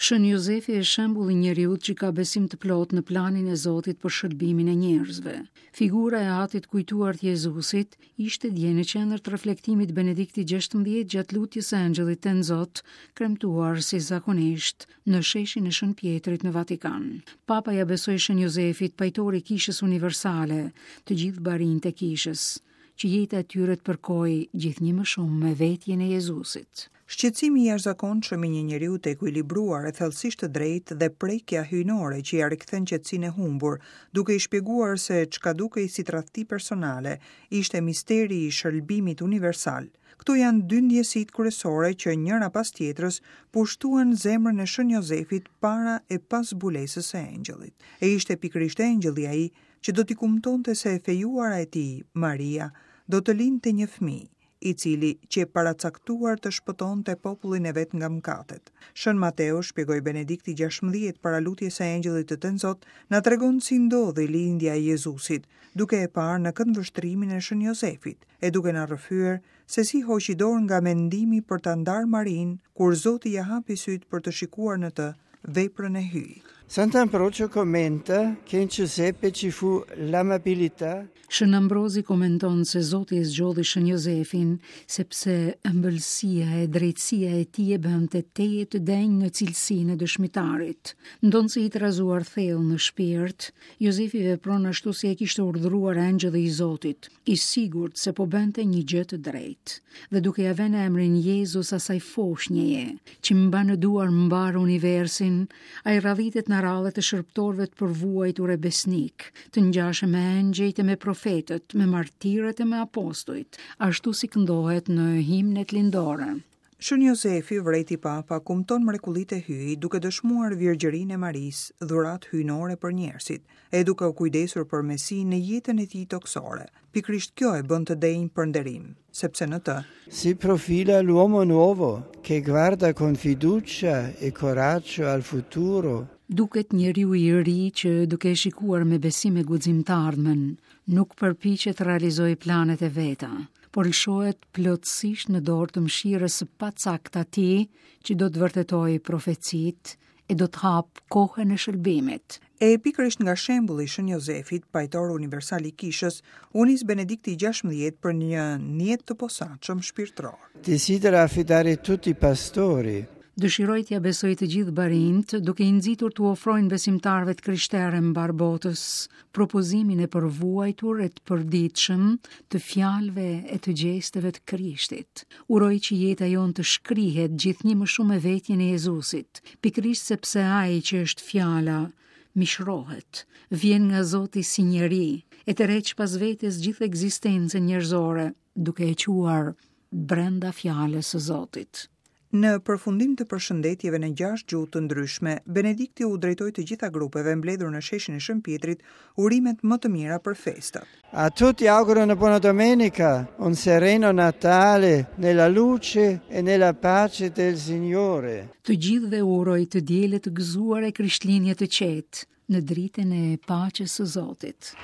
Shën Jozefi është shembull i njeriut që ka besim të plotë në planin e Zotit për shëlbimin e njerëzve. Figura e atit të kujtuar të Jezusit ishte dje në qendër të reflektimit të Benediktit XVI gjatë lutjes së Engjëllit Tenzot, kremtuar si zakonisht në sheshin e Shën Pjetrit në Vatikan. Papa ia besoi Shën Jozefit, pajtor i Kishës Universale, të gjithë barinjtë e Kishës, që jeta e tyre të përkojë gjithnjë më shumë me vetjen e Jezusit. Shqetësimi i jashtëzakonshëm i një njeriu të ekuilibruar e thellësisht të drejtë dhe prekja hyjnore që ia rikthen qetësinë e humbur, duke i shpjeguar se çka dukej si tradhti personale, ishte misteri i shëlbimit universal. Këto janë dy ndjesitë kryesore që njëra pas tjetrës pushtuan zemrën e Shën Jozefit para e pas zbulesës së engjëllit. E ishte pikërisht engjëlli ai që do t'i kumtonte se e fejuara e tij, Maria, do të lindte një fëmijë, i cili qe paracaktuar të shpëtonte popullin e vet nga mëkatet. Shën Mateu, shpjegoi Benedikti XVI para lutjes së Engjëllit të Tenzot, na tregon si ndodhi lindja e Jezusit, duke e parë në këndvështrimin e Shën Jozefit, e duke na rrëfyer se si hoqi dorë nga mendimi për ta ndarë Marinë, kur Zoti ia hapi sytë për të shikuar në të veprën e Hyjit. Sant'Ambrogio commenta che in Giuseppe ci fu l'amabilità. Shën Ambrozi komenton se Zoti e zgjodhi Shën Jozefin, sepse ëmbëlsia e drejtësia e tij e bënte tejet të denjë në cilësinë e dëshmitarit. Ndonëse i trazuar thellë në shpirt, Jozefi vepron ashtu si e kishte urdhëruar engjëlli i Zotit, i sigurt se po bënte një gjë të drejtë, dhe duke ia vënë emrin Jezus asaj foshnjeje, që mban në duar mbarë universin, ai radhitet në radhët e shërbëtorëve të përvuajtur e besnikë, të ngjashëm me engjëjt e me profetët, me martirët e me apostujt, ashtu si këndohet në himnet lindore. Shën Jozefi, vërejti Papa, kumton mrekullitë e Hyjit duke dëshmuar virgjërinë e Marisë, dhuratë hyjnore për njerëzit, e duke u kujdesur për Mesinë në jetën e tij tokësore. Pikërisht kjo e bën të denjë për nderim, sepse në të. Si profila l'uomo nuovo che guarda con fiducia e coraggio al futuro. Duket njeriu i ri që, duke e shikuar me besim e guxim të ardhmen, nuk përpiqet të realizojë planet e veta, por lëshohet plotësisht në dorë të mëshirës së pacak të atij që do të vërtetojë profecitë e do të hapë kohën e shëlbimit. E pikërisht nga shembulli i Shën Jozefit, pajtor universal i Kishës, u nis Benedikti i XVI për një nijet të posaçëm shpirtëror. Desidera affidare tutti i pastori. Dëshiroj t'ia besoj të gjithë barinjtë, duke i nxitur t'u ofrojnë besimtarëve të krishterë mbarë botës propozimin e përvuajtur e të përditshëm të fjalëve e të gjesteve të Krishtit. Uroj që jeta jonë të shkrihet gjithnjë më shumë me vetjen e Jezusit, pikërisht sepse ai që është fjala mishrohet, vjen nga Zoti si njeri, e tërheq pas vetes gjithë ekzistencën njerëzore, duke e çuar brenda fjalës së Zotit. Në përfundim të përshëndetjeve në gjashtë gjuhë të ndryshme, Benedikti u drejtoi të gjitha grupeve mbledhur në sheshin e Shën Pjetrit urimet më të mira për festat. A tutti auguro una buona domenica, un sereno Natale nella luce e nella pace del Signore. Të gjithëve u uroj të diele të gëzuar e Krishtlindje të qetë, në dritën e paqes së Zotit.